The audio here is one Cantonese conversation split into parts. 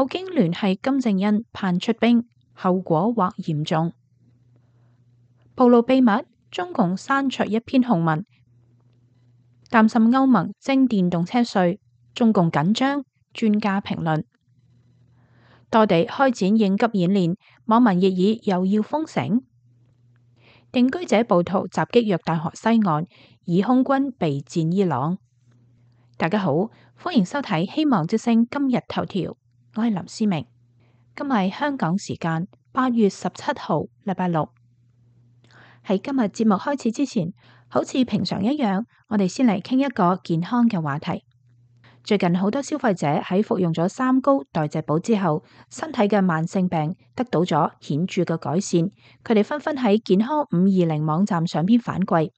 普京聯繫金正恩盼出兵，後果或嚴重。暴露秘密，中共刪除一篇控文，擔心歐盟徵電動車稅，中共緊張，專家評論。多地開展應急演練，網民熱議又要封城。定居者暴徒襲擊約旦河西岸，以空軍備戰伊朗。大家好，歡迎收睇《希望之聲》今日頭條，我係林思明。今日香港時間8月17號，禮拜六。喺今日節目開始之前，好似平常一樣，我哋先嚟傾一個健康嘅話題。最近好多消費者喺服用咗三高代謝寶之後，身體嘅慢性病得到咗顯著嘅改善，佢哋紛紛喺健康520網站上邊反饋。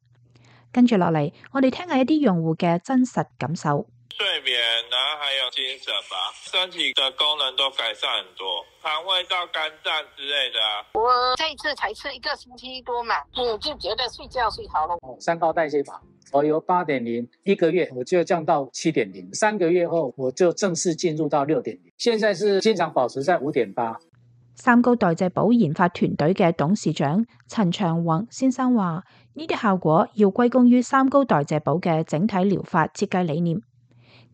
跟住落嚟，我哋聽下一啲用戶嘅真實感受。睡眠，然後還有精神吧，身體的功能都改善很多，腸胃道、肝臟之類的啊。我這一次才吃1個星期多嘛，我就覺得睡覺睡好了。三高代謝法，我由8.0，一個月我就降到7.0， 3個月後我就正式進入到6.0，現在是經常保持在5.8。三高代謝寶研發團隊嘅董事長陳長宏先生話：呢啲效果要歸功於三高代謝寶嘅整體療法設計理念。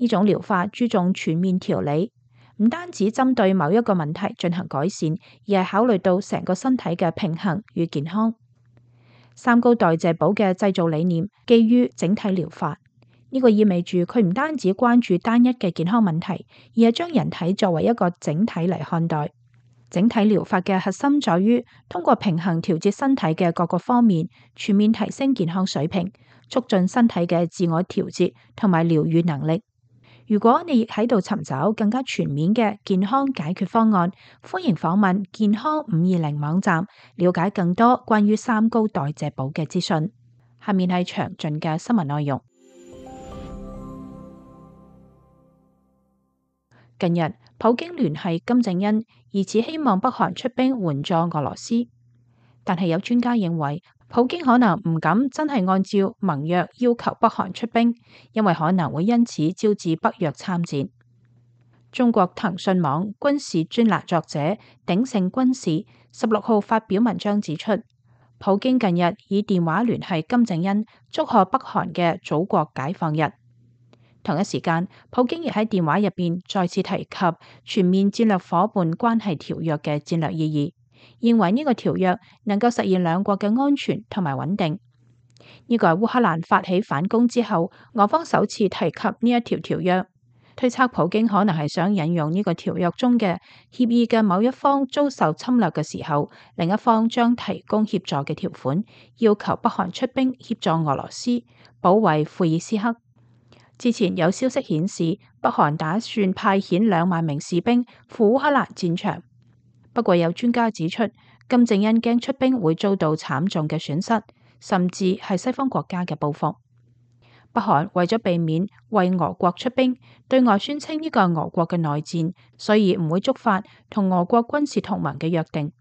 呢種療法注重全面調理，唔單止針對某一個問題進行改善，而係考慮到成個身體嘅平衡與健康。三高代謝寶嘅製造理念基於整體療法，呢個意味住佢唔單止關注單一嘅健康問題，而係將人體作為一個整體嚟看待。整體療法嘅核心在於通過平衡調節身體嘅各個方面，全面提升健康水平，促進身體嘅自我調節同埋療癒能力。如果你亦喺度尋找更加全面嘅健康解決方案，歡迎訪問健康520網站，了解更多關於三高代謝寶嘅資訊。下面係詳盡嘅新聞內容。近日，普京聯繫金正恩，疑似希望北韓出兵援助俄羅斯，但係有專家認為，普京可能唔敢真係按照盟約要求北韓出兵，因為可能會因此招致北約參戰。中國騰訊網軍事專欄作者鼎盛軍事16號發表文章指出，普京近日以電話聯繫金正恩，祝賀北韓嘅祖國解放日。同一時間，普京亦喺電話入邊再次提及全面戰略夥伴關係條約嘅戰略意義。認為呢個條約能夠實現兩國嘅安全同埋穩定。呢個係烏克蘭發起反攻之後，俄方首次提及呢一條條約。推測普京可能係想引用呢個條約中嘅協議嘅某一方遭受侵略嘅時候，另一方將提供協助嘅條款，要求北韓出兵協助俄羅斯保衛庫爾斯克。之前有消息顯示，北韓打算派遣2萬名士兵赴烏克蘭戰場。不過有專家指出，金正恩驚出兵會遭到慘重嘅損失，甚至係西方國家嘅報復。北韓為咗避免為俄國出兵，對外宣稱呢個係俄國嘅內戰，所以唔會觸發同俄國軍事同盟嘅約定。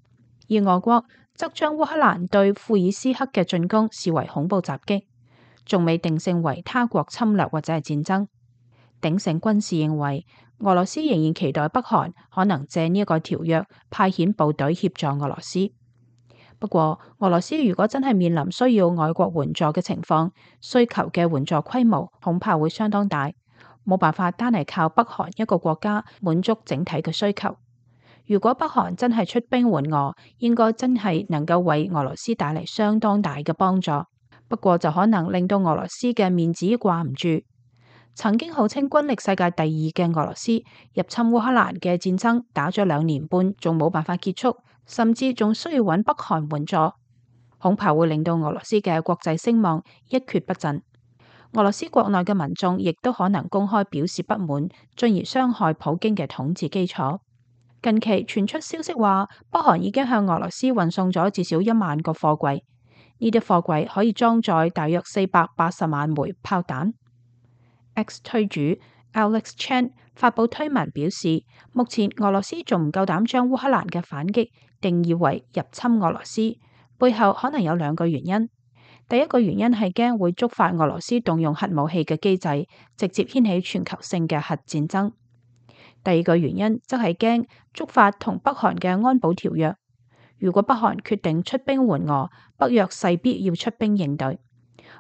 而俄國則將烏克蘭對庫爾斯克嘅進攻視為恐怖襲擊，仲未定性為他國侵略或者係戰爭。鼎盛軍事認為，俄羅斯仍然期待北韓可能借呢一個條約派遣部隊協助俄羅斯。不過，俄羅斯如果真係面臨需要外國援助嘅情況，需求嘅援助規模恐怕會相當大，冇辦法單係靠北韓一個國家滿足整體嘅需求。如果北韓真係出兵援俄，應該真係能夠為俄羅斯帶嚟相當大嘅幫助。不過就可能令到俄羅斯嘅面子掛唔住。曾經號稱軍力世界第2嘅俄羅斯入侵烏克蘭嘅戰爭打咗2年半，仲冇辦法結束，甚至仲需要揾北韓援助，恐怕會令到俄羅斯嘅國際聲望一蹶不振。俄羅斯國內嘅民眾亦都可能公開表示不滿，進而傷害普京嘅統治基礎。近期傳出消息話，北韓已經向俄羅斯運送咗至少1萬個貨櫃，呢啲貨櫃可以裝載大約480萬枚炮彈。X 推主 Alex Chen 發布推文表示，目前俄羅斯仲唔夠膽將烏克蘭嘅反擊定義為入侵俄羅斯，背後可能有2個原因。第一個原因係驚會觸發俄羅斯動用核武器嘅機制，直接掀起全球性嘅核戰爭。第二個原因則係驚觸發同北韓嘅安保條約。如果北韓決定出兵援俄，北約勢必要出兵應對。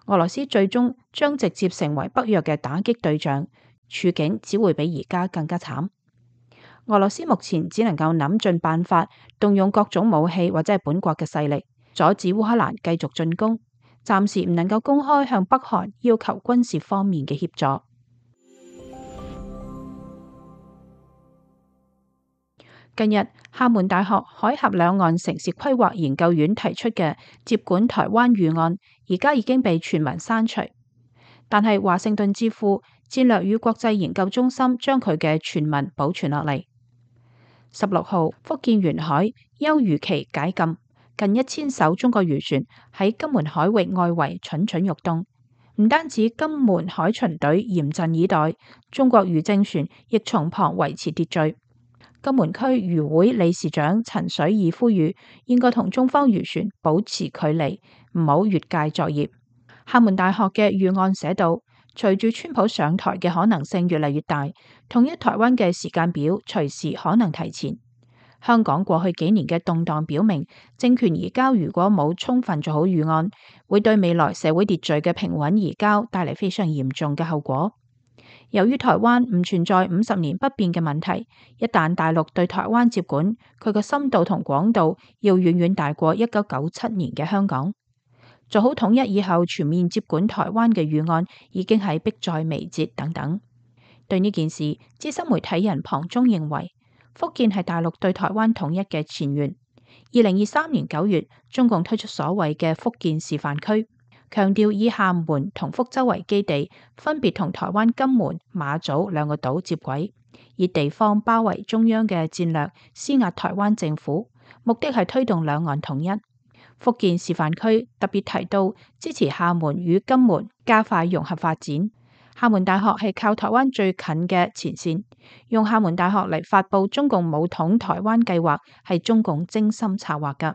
俄羅斯最終將直接成為北約嘅打擊對象，處境只會比而家更加慘。俄羅斯目前只能夠諗盡辦法，動用各種武器或者係本國嘅勢力，阻止烏克蘭繼續進攻。暫時唔能夠公開向北韓要求軍事方面嘅協助。近日，廈門大學海峽兩岸城市規劃研究院提出嘅接管台灣預案，而家已經被全文刪除。但係華盛頓智庫戰略與國際研究中心將佢嘅全文保存落嚟。16號，福建沿海休漁期解禁，近1000艘中國漁船喺金門海域外圍蠢蠢欲動。唔單止金門海巡隊嚴陣以待，中國漁政船亦從旁維持秩序。金門區漁會理事長陳水義呼籲，應該同中方漁船保持距離，唔好越界作業。廈門大學嘅預案寫道，隨住川普上台嘅可能性越嚟越大，統一台灣嘅時間表隨時可能提前。香港過去幾年嘅動盪表明，政權移交如果冇充分做好預案，會對未來社會秩序嘅平穩移交帶嚟非常嚴重嘅後果。由於台灣唔存在50年不變嘅問題，一旦大陸對台灣接管，佢嘅深度同廣度要遠遠大過1997年嘅香港。做好統一以後全面接管台灣嘅預案已經係迫在眉睫等等。對呢件事，資深媒體人龐中認為，福建係大陸對台灣統一嘅前緣。2023年9月，中共推出所謂嘅福建示範區，強調以廈門同福州為基地，分別同台灣金門、馬祖兩個島接軌，以地方包圍中央嘅戰略施壓台灣政府，目的係推動兩岸統一。福建示範區特別提到支持廈門與金門加快融合發展。廈門大學係靠台灣最近嘅前線，用廈門大學嚟發佈中共武統台灣計劃係中共精心策劃㗎。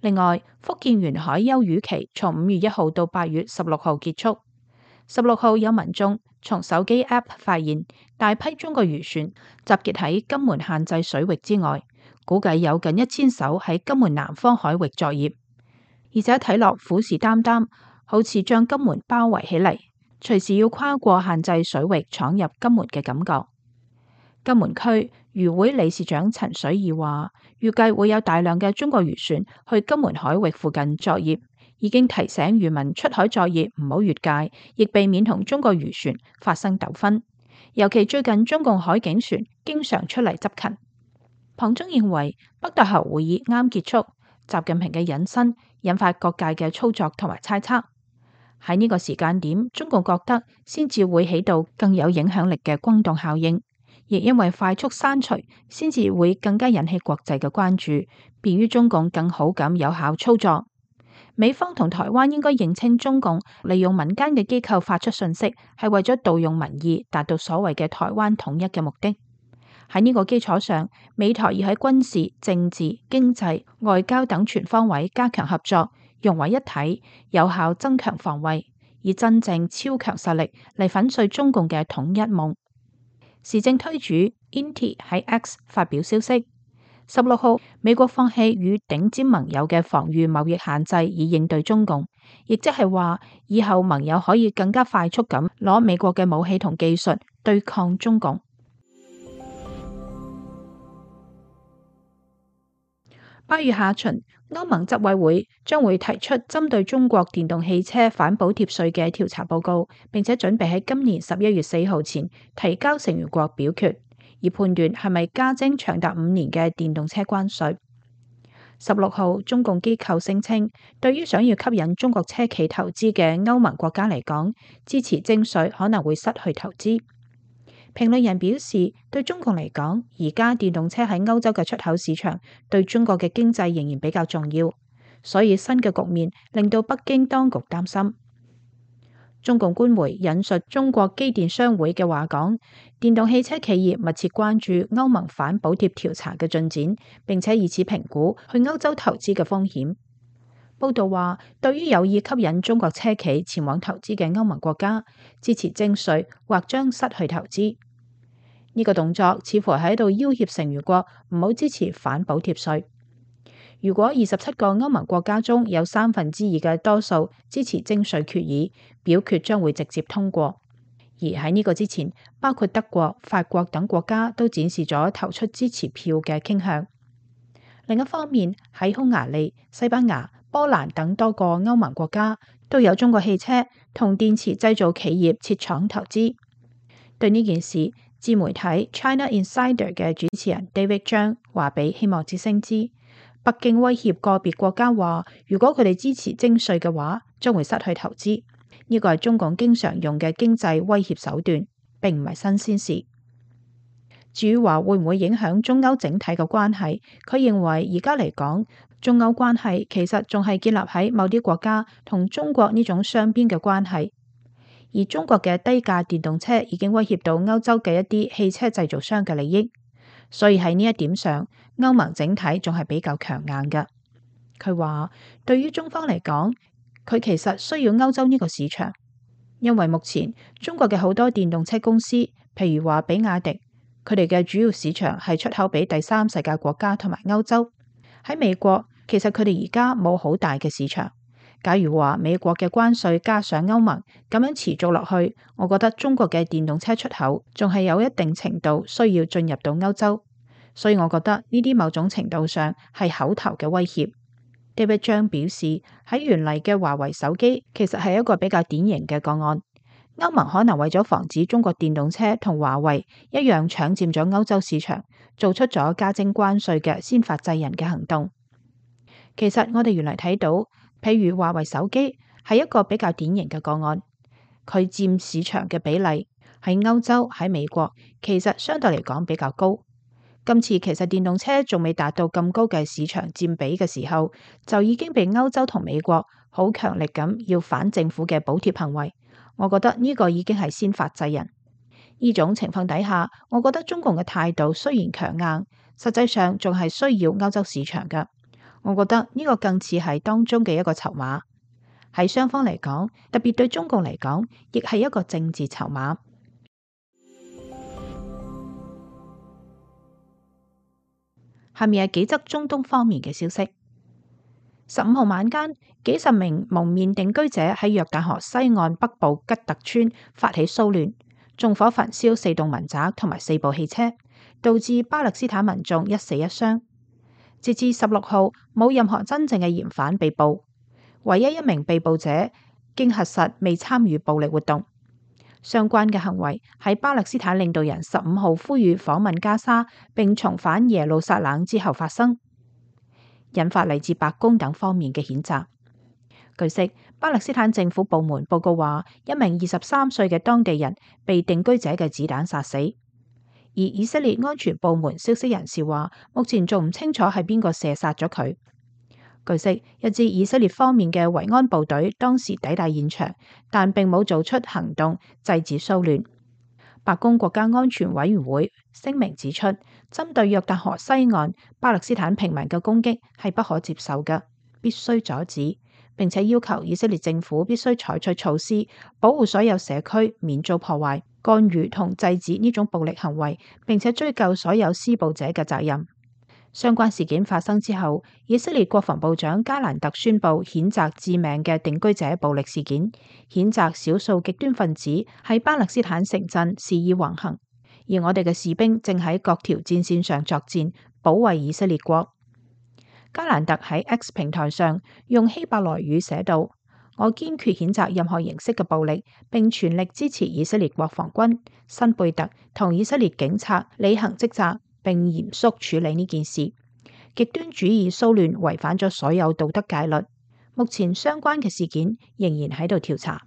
另外，福建沿海休漁期從5月1號到8月16號結束。16號有民眾從手機 App 發現大批中國漁船集結喺金門限制水域之外，估計有近1000艘喺金門南方海域作業，而且睇落虎視眈眈，好似將金門包圍起嚟，隨時要跨過限制水域闖入金門嘅感覺。金門區漁會理事長陳水義話，預計會有大量嘅中國漁船去金門海域附近作業，已經提醒漁民出海作業唔好越界，亦避免同中國漁船發生糾紛。尤其最近中共海警船經常出嚟執勤。龐中認為，北大河會議啱結束，習近平嘅隱身引發各界嘅操作同埋猜測。喺呢個時間點，中共覺得先至會起到更有影響力嘅轟動效應，亦因為快速刪除，先至會更加引起國際嘅關注，便於中共更好咁有效操作。美方同台灣應該認清中共利用民間嘅機構發出訊息，係為咗盜用民意，達到所謂嘅台灣統一嘅目的。喺呢個基礎上，美台要喺軍事、政治、經濟、外交等全方位加強合作，融為一體，有效增強防衛，以真正超強實力嚟粉碎中共嘅統一夢。時政推主 Inti 喺 X 發表消息，16號美國放棄與頂尖盟友嘅防禦貿易限制，以應對中共，亦即係話以後盟友可以更加快速咁攞美國嘅武器同技術對抗中共。8月下旬，歐盟執委會將會提出針對中國電動汽車反補貼稅嘅調查報告，並且準備喺今年11月4號前提交成員國表決，以判斷係咪加徵長達5年嘅電動車關稅。16號，中共機構聲稱，對於想要吸引中國車企投資嘅歐盟國家嚟講，支持徵稅可能會失去投資。評論人表示，對中共嚟講，而家電動車喺歐洲嘅出口市場對中國嘅經濟仍然比較重要，所以新嘅局面令到北京當局擔心。中共官媒引述中國機電商會嘅話講，電動汽車企業密切關注歐盟反補貼調查嘅進展，並且以此評估去歐洲投資嘅風險。報道話，對於有意吸引中國車企前往投資嘅歐盟國家，支持徵稅或將失去投資。呢個動作似乎喺度要挾成員國唔好支持反補貼稅。如果27個歐盟國家中有2/3嘅多數支持徵稅決議，表決將會直接通過。而喺呢個之前，包括德國、法國等國家都展示咗投出支持票嘅傾向。另一方面，喺匈牙利、西班牙、波蘭等多個歐盟國家都有中國汽車同電池製造企業設廠投資。對呢件事，自媒體 China Insider 嘅主持人 David 張話俾希望之聲知，北京威脅個別國家話，如果佢哋支持徵稅嘅話，將會失去投資。呢個係中共經常用嘅經濟威脅手段，並唔係新鮮事。至於話會唔會影響中歐整體嘅關係，佢認為而家嚟講，中歐關係其實仲係建立喺某啲國家同中國呢種雙邊嘅關係，而中國嘅低價電動車已經威脅到歐洲嘅一啲汽車製造商嘅利益，所以喺呢一點上，歐盟整體仲係比較強硬嘅。佢話對於中方嚟講，佢其實需要歐洲呢個市場，因為目前中國嘅好多電動車公司，譬如話比亞迪，佢哋嘅主要市場係出口俾第三世界國家同埋歐洲。喺美國，其實佢哋而家冇好大嘅市場。假如話美國嘅關稅加上歐盟咁樣持續落去，我覺得中國嘅電動車出口仲係有一定程度需要進入到歐洲。所以我覺得呢啲某種程度上係口頭嘅威脅。David 張表示，喺原嚟嘅華為手機其實係一個比較典型嘅個案。歐盟可能為咗防止中國電動車同華為一樣搶佔咗歐洲市場，做出咗加徵關稅嘅先發制人嘅行動。其實我哋原嚟睇到，譬如華為手機係一個比較典型嘅個案，佢佔市場嘅比例喺歐洲、喺美國其實相對嚟講比較高。今次其實電動車仲未達到咁高嘅市場佔比嘅時候，就已經被歐洲同美國好強力咁要反政府嘅補貼行為。我覺得呢個已經係先發制人。呢種情況底下，我覺得中共嘅態度雖然強硬，實際上仲係需要歐洲市場嘅。我覺得呢個更似係當中嘅一個籌碼，喺雙方嚟講，特別對中共嚟講，亦係一個政治籌碼。下面係幾則中東方面嘅消息。15號晚間，幾十名蒙面定居者喺約旦河西岸北部吉特村發起騷亂，縱火焚燒4棟民宅同埋4部汽車，導致巴勒斯坦民眾1死1傷。截至16號，冇任何真正嘅嫌犯被捕，唯一一名被捕者經核實未參與暴力活動。相關嘅行為喺巴勒斯坦領導人15號呼籲訪問加沙並重返耶路撒冷之後發生，引發嚟自白宮等方面嘅譴責。據悉，巴勒斯坦政府部門報告話，一名23歲嘅當地人被定居者嘅子彈殺死，而以色列安全部門消息人士話，目前仲唔清楚係邊個射殺咗佢。據悉，一支以色列方面嘅維安部隊當時抵達現場，但並冇做出行動制止騷亂。白宮國家安全委員會聲明指出，針對約旦河西岸巴勒斯坦平民嘅攻擊係不可接受嘅，必須阻止，並且要求以色列政府必須採取措施，保護所有社區免遭破壞、干預同制止呢種暴力行為，並且追究所有施暴者嘅責任。相關事件發生之後，以色列國防部長加蘭特宣布譴責致命嘅定居者暴力事件，譴責少數極端分子喺巴勒斯坦城鎮肆意橫行，而我哋嘅士兵正喺各條戰線上作戰，保衛以色列國。加蘭特喺 X 平台上用希伯來語寫道：我堅決譴責任何形式嘅暴力，並全力支持以色列國防軍、新貝特同以色列警察履行職責，並嚴肅處理呢件事。極端主義騷亂違反咗所有道德戒律。目前相關嘅事件仍然喺度調查。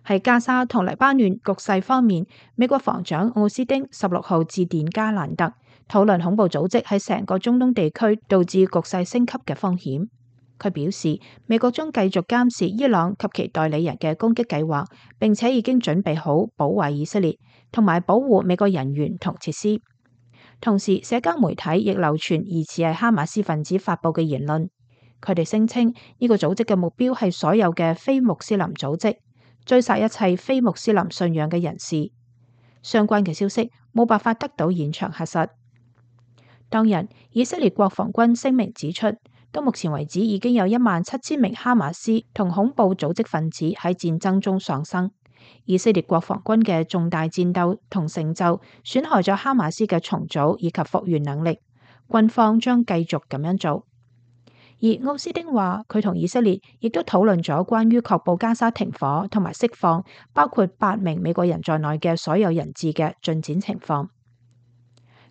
喺加沙同黎巴嫩局勢方面，美國防長奧斯汀16號致電加蘭特，討論恐怖組織喺成個中東地區導致局勢升級嘅風險。佢表示，美國將繼續監視伊朗及其代理人嘅攻擊計劃，並且已經準備好保衛以色列同埋保護美國人員同設施。同時，社交媒體亦流傳疑似係哈馬斯分子發佈嘅言論，佢哋聲稱呢個組織嘅目標係所有嘅非穆斯林組織，追殺一切非穆斯林信仰嘅人士。相關嘅消息冇辦法得到現場核實。當日，以色列國防軍聲明指出，到目前為止已經有17000名哈馬斯同恐怖組織分子喺戰爭中喪生。以色列國防軍嘅重大戰鬥同成就損害咗哈馬斯嘅重組以及復原能力，軍方將繼續咁樣做。而奧斯丁話，佢同以色列亦都討論咗關於確保加沙停火同埋釋放包括8名美國人在內嘅所有人質嘅進展情況。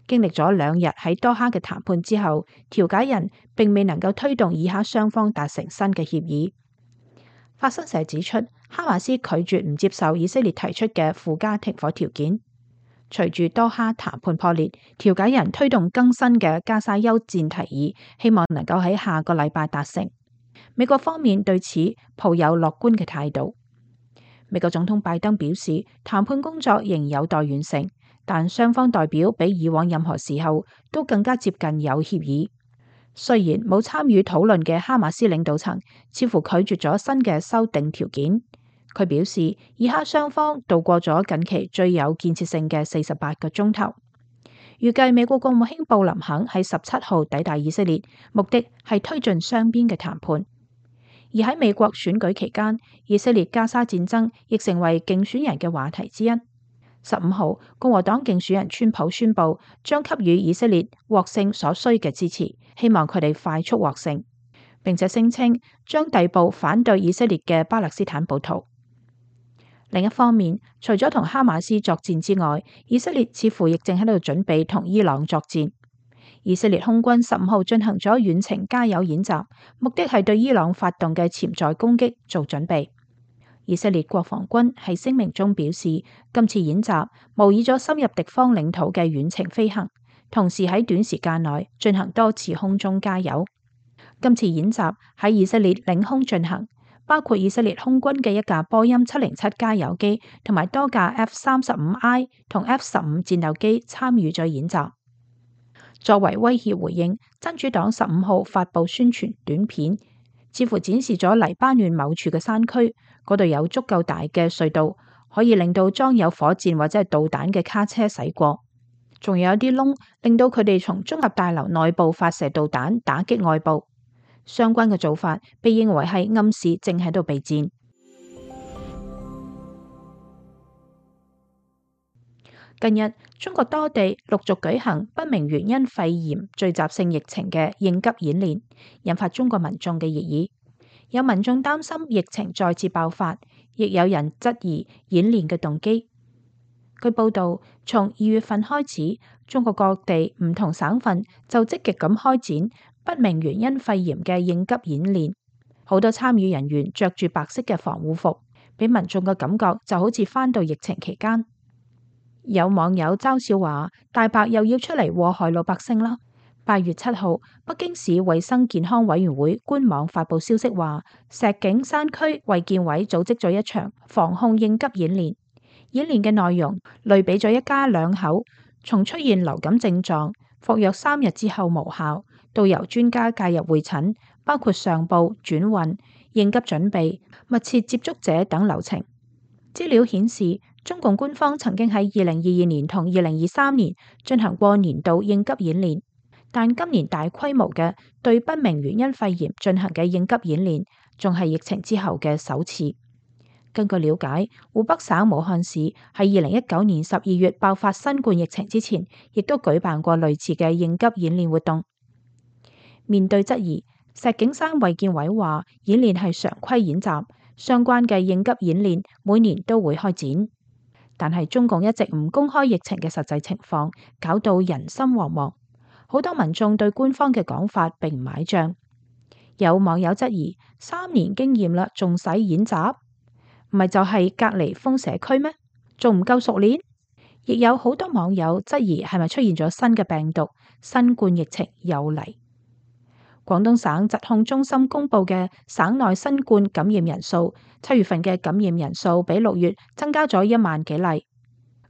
經歷咗2日喺多哈嘅談判之後，調解人並未能夠推動以哈雙方達成新嘅協議。法新社指出，哈馬斯拒絕唔接受以色列提出嘅附加停火條件。隨住多哈談判破裂，調解人推動更新嘅加沙休戰提議，希望能夠喺下個禮拜達成。美國方面對此抱有樂觀嘅態度。美國總統拜登表示，談判工作仍有待完成，但雙方代表比以往任何時候都更加接近有協議。雖然冇參與討論嘅哈馬斯領導層似乎拒絕咗新嘅修訂條件。佢表示，以哈雙方度過咗近期最有建設性嘅48個鐘頭。預計美國國務卿布林肯喺17號抵達以色列，目的係推進雙邊嘅談判。而喺美國選舉期間，以色列加沙戰爭亦成為競選人嘅話題之一。15號，共和黨競選人川普宣布將給予以色列獲勝所需嘅支持，希望佢哋快速獲勝，並且聲稱將逮捕反對以色列嘅巴勒斯坦暴徒。另一方面，除咗同哈馬斯作戰之外，以色列似乎亦正喺度準備同伊朗作戰。以色列空軍15號進行咗遠程加油演習，目的係對伊朗發動嘅潛在攻擊做準備。以色列國防軍喺聲明中表示，今次演習模擬咗深入敵方領土嘅遠程飛行，同時喺短時間內進行多次空中加油。今次演習喺以色列領空進行，包括以色列空軍嘅一架波音707加油機同埋多架 F-35I 同 F-15戰鬥機參與咗演習。作為威脅回應，真主黨15號發布宣傳短片，似乎展示咗黎巴嫩某處嘅山區，嗰度有足夠大嘅隧道，可以令到裝有火箭或者係導彈嘅卡車駛過，仲有一啲窿，令到佢哋從綜合大樓內部發射導彈打擊外部。相關嘅做法被認為係暗示正喺度備戰。近日，中國多地陸續舉行不明原因肺炎聚集性疫情嘅應急演練，引發中國民眾嘅熱議。有民眾擔心疫情再次爆發，亦有人質疑演練嘅動機。據報道，從2月份開始，中國各地唔同省份就積極咁開展不明原因肺炎嘅應急演練，好多參與人員着住白色嘅防護服，俾民眾嘅感覺就好似返到疫情期間。有網友嘲笑話：大白又要出嚟禍害老百姓啦。8月7號，北京市衛生健康委員會官網發布消息話，石景山區衛健委組織咗一場防控應急演練。演練嘅內容類比咗一家2口從出現流感症狀、服藥3日之後無效，到由專家介入會診，包括上報、轉運、應急準備、密切接觸者等流程。資料顯示，中共官方曾經喺2022年同2023年進行過年度應急演練，但今年大規模嘅對不明原因肺炎進行嘅應急演練，仲係疫情之後嘅首次。根據了解，湖北省武漢市喺2019年12月爆發新冠疫情之前，亦都舉辦過類似嘅應急演練活動。面對質疑，石景山衛健委話演練係常規演習，相關嘅應急演練每年都會開展。但係中共一直唔公開疫情嘅實際情況，搞到人心惶惶。好多民眾對官方嘅講法並唔買賬。有網友質疑：3年經驗啦，仲使演習？唔係就係隔離封社區咩？仲唔夠熟練？亦有好多網友質疑係咪出現咗新嘅病毒？新冠疫情又嚟。廣東省疾控中心公布嘅省內新冠感染人數，7月份嘅感染人數比6月增加咗1萬幾例。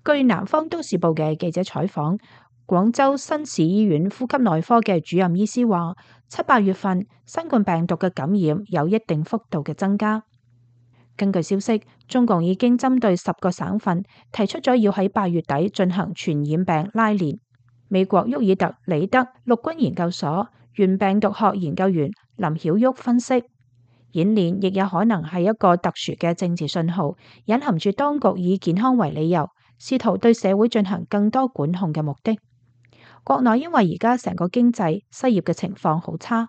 據南方都市報嘅記者採訪，廣州新市醫院呼吸內科嘅主任醫師話，7、8月份新冠病毒嘅感染有一定幅度嘅增加。根據消息，中共已經針對10個省份提出咗要喺8月底進行傳染病拉練。美國沃爾特里德陸軍研究所原病毒學研究員林曉旭分析，演練亦有可能係一個特殊嘅政治信號，隱含住當局以健康為理由，試圖對社會進行更多管控嘅目的。國內因為而家成個經濟失業嘅情況好差，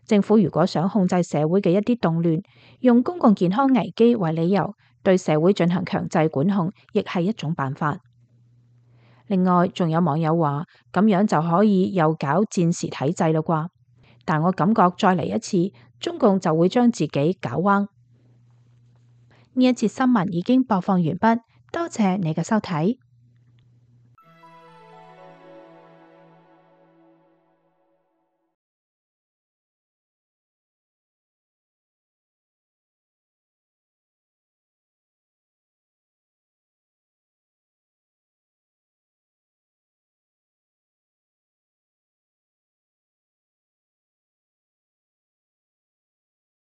政府如果想控制社會嘅一啲動亂，用公共健康危機為理由對社會進行強制管控，亦係一種辦法。另外，仲有網友話咁樣就可以又搞戰時體制啦啩？但我感覺再嚟一次，中共就會將自己搞彎。呢一節新聞已經播放完畢，多謝你嘅收睇。